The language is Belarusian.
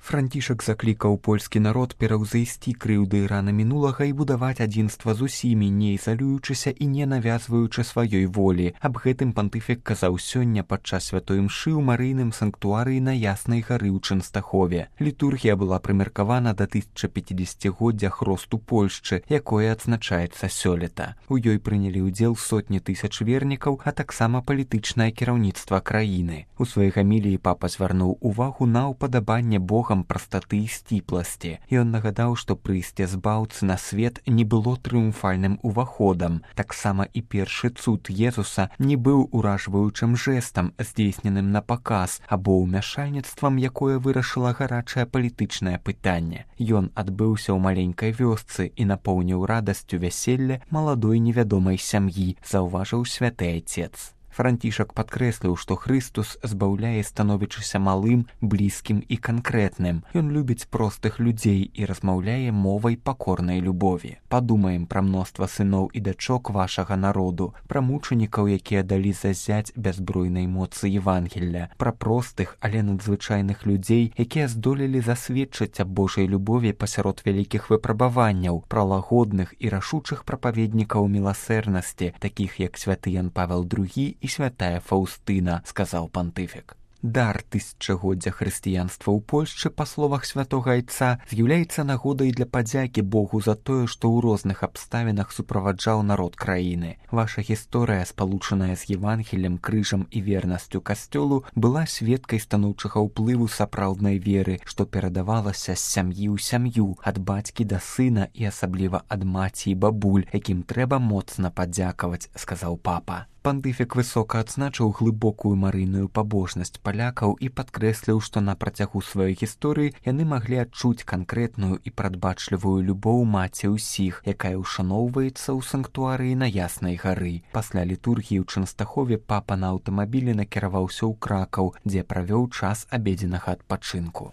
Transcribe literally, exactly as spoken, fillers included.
Францішак заклікаў польскі народ пераўзайсці крыўды і раны мінулага і будаваць адзінства з усімі, не ізалюючыся і не навязваючы сваёй волі. Аб гэтым пантыфік казаў сёння падчас святой імшы ў марыйным санктуарыі на Яснай гары ў Чэнстахове. Літургія была прымеркавана да тысяча пяцідзесяцігоддзя хросту Польшчы, якое адзначаецца сёлета. У ёй прынялі ўдзел сотні тысяч вернікаў, а таксама палітычнае кіраўніцтва краіны. У сваёй гаміліі папа звярнуў увагу на ўпадабанне Богам прастаты і сціпласці. Ён нагадаў, што прыйсце збаўцы на свет не было трыумфальным уваходам. Таксама і першы цуд Езуса не быў уражваючым жэстам, здзейсненым на паказ, або ўмяшальніцтвам, якое вырашыла гарачае палітычнае пытанне. Ён адбыўся ў маленькай вёсцы і напоўніў радасцю вяселля маладой невядомай сям'і, заўважыў святы айцец. Францішак падкрэсліў, што Хрыстус збаўляе, становячыся малым, блізкім і канкрэтным. Ён любіць простых людзей і размаўляе мовай пакорнай любові. Падумаем пра мноства сыноў і дачок вашага народу, пра мучанікаў, якія далі зазяць бязбройнай моцы Евангелля, пра простых, але надзвычайных людзей, якія здолелі засведчыць аб Божай любові пасярод вялікіх выпрабаванняў, пра лагодных і рашучых прапаведнікаў міласэрнасці, такіх як святы Ян Павел другі і святая Фаўстына, сказаў пантыфік. Дар тысячагоддзя хрысціянства ў Польшчы, па словах святога айца, з'яўляецца нагодай для падзякі Богу за тое, што ў розных абставінах суправаджаў народ краіны. Ваша гісторыя, спалучаная з Евангеллем, крыжам і вернасцю касцёлу, была сведкай станоўчага ўплыву сапраўднай веры, што перадавалася з сям'і ў сям'ю, ад бацькі да сына і асабліва ад маці і бабуль, якім трэба моцна падзякаваць, сказаў папа. Пантыфік высока адзначыў глыбокую марыйную пабожнасць палякаў і падкрэсліў, што на працягу сваёй гісторыі яны маглі адчуць канкрэтную і прадбачлівую любоў маці ўсіх, якая ўшаноўваецца ў санктуарыі на Яснай гары. Пасля літургіі ў Чэнстахове папа на аўтамабілі накіраваўся ў Кракаў, дзе правёў час абедзенага адпачынку.